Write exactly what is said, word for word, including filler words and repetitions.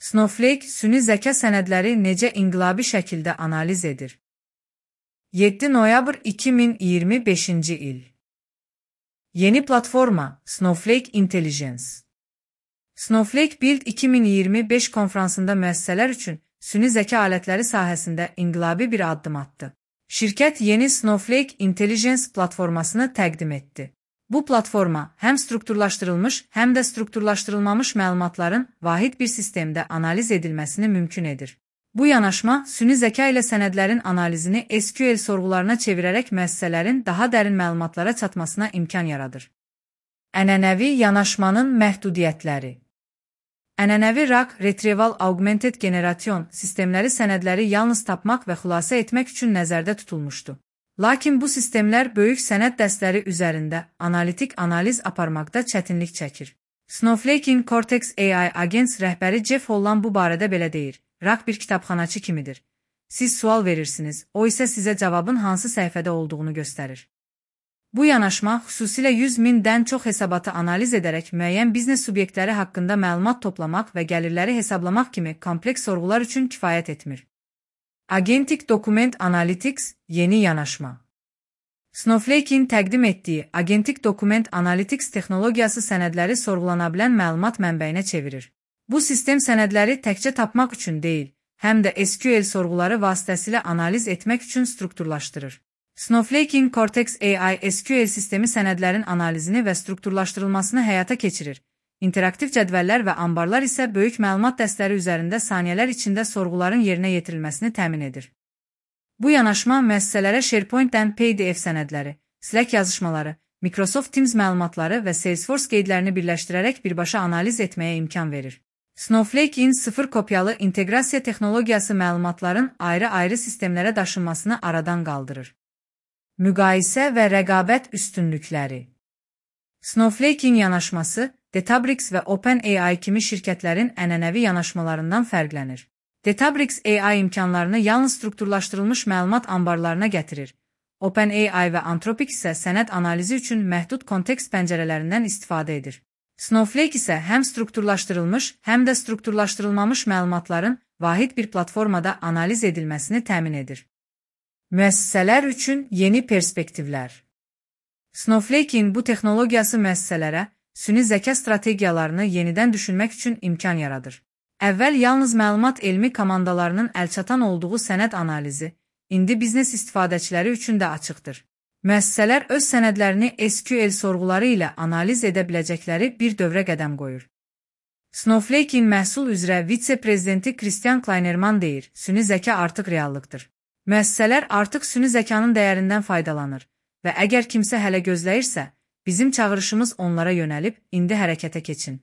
Snowflake, süni zəka sənədləri necə inqilabi şəkildə analiz edir? yeddi noyabr iki min iyirmi beşinci il. Yeni platforma Snowflake Intelligence. Snowflake Build iki min iyirmi beş konfransında müəssisələr üçün süni zəka alətləri sahəsində inqilabi bir addım atdı. Şirkət yeni Snowflake Intelligence platformasını təqdim etdi. Bu platforma həm strukturlaşdırılmış, həm də strukturlaşdırılmamış məlumatların vahid bir sistemdə analiz edilməsini mümkün edir. Bu yanaşma, süni zəka ilə sənədlərin analizini S Q L sorğularına çevirərək müəssisələrin daha dərin məlumatlara çatmasına imkan yaradır. Ənənəvi yanaşmanın məhdudiyyətləri. Ənənəvi R A G Retrieval Augmented Generation sistemləri sənədləri yalnız tapmaq və xülasə etmək üçün nəzərdə tutulmuşdu. Lakin bu sistemlər böyük sənəd dəstləri üzərində analitik analiz aparmaqda çətinlik çəkir. Snowflake'in Cortex A I Agents rəhbəri Jeff Hollan bu barədə belə deyir: R A G bir kitabxanaçı kimidir. Siz sual verirsiniz, o isə sizə cavabın hansı səhifədə olduğunu göstərir. Bu yanaşma xüsusilə yüz mindən çox hesabatı analiz edərək müəyyən biznes subyektləri haqqında məlumat toplamaq və gəlirləri hesablamaq kimi kompleks sorğular üçün kifayət etmir. Agentic Document Analytics yeni yanaşma. Snowflake'in təqdim etdiyi Agentic Document Analytics texnologiyası sənədləri sorğulana bilən məlumat mənbəyinə çevirir. Bu sistem sənədləri təkcə tapmaq üçün deyil, həm də S Q L sorğuları vasitəsilə analiz etmək üçün strukturlaşdırır. Snowflake'in Cortex A I S Q L sistemi sənədlərin analizini və strukturlaşdırılmasını həyata keçirir. İnteraktiv cədvəllər və ambarlar isə böyük məlumat dəstləri üzərində saniyələr içində sorğuların yerinə yetirilməsini təmin edir. Bu yanaşma müəssisələrə SharePoint-dən P D F sənədləri, Slack yazışmaları, Microsoft Teams məlumatları və Salesforce qeydlərini birləşdirərək birbaşa analiz etməyə imkan verir. Snowflake'in sıfır kopyalı inteqrasiya texnologiyası məlumatların ayrı-ayrı sistemlərə daşınmasını aradan qaldırır. Müqayisə və rəqabət üstünlükləri. Snowflake'in yanaşması Databricks və OpenAI kimi şirkətlərin ənənəvi yanaşmalarından fərqlənir. Databricks A I imkanlarını yalnız strukturlaşdırılmış məlumat ambarlarına gətirir. OpenAI və Anthropic isə sənəd analizi üçün məhdud kontekst pəncərələrindən istifadə edir. Snowflake isə həm strukturlaşdırılmış, həm də strukturlaşdırılmamış məlumatların vahid bir platformada analiz edilməsini təmin edir. Müəssisələr üçün yeni perspektivlər. Snowflake'in bu texnologiyası müəssisələrə süni zəka strategiyalarını yenidən düşünmək üçün imkan yaradır. Əvvəl yalnız məlumat elmi komandalarının əlçatan olduğu sənəd analizi, indi biznes istifadəçiləri üçün də açıqdır. Müəssisələr öz sənədlərini S Q L sorğuları ilə analiz edə biləcəkləri bir dövrə qədəm qoyur. Snowflake'in məhsul üzrə vitse-prezidenti Christian Kleinerman deyir: süni zəka artıq reallıqdır. Müəssisələr artıq süni zəkanın dəyərindən faydalanır və əgər kimsə hələ gözləyirsə, bizim çağırışımız onlara yönəlib, indi hərəkətə keçin.